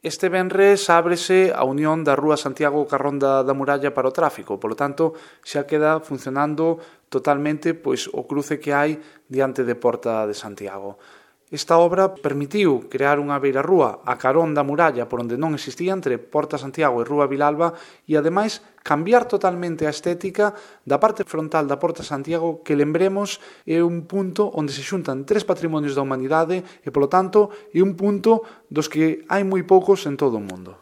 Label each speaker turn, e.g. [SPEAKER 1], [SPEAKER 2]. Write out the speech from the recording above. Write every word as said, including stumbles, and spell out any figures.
[SPEAKER 1] Este venres ábrese a unión da Rúa Santiago ca Ronda da Muralla para o tráfico, polo tanto, xa queda funcionando totalmente pois o cruce que hai diante de Porta de Santiago. Esta obra permitiu crear unha beirarrúa a carón da muralla por onde non existía entre Porta Santiago e Rúa Vilalba e, ademais, cambiar totalmente a estética da parte frontal da Porta Santiago que, lembremos, é un punto onde se xuntan tres patrimonios da humanidade e, polo tanto, é un punto dos que hai moi poucos en todo o mundo.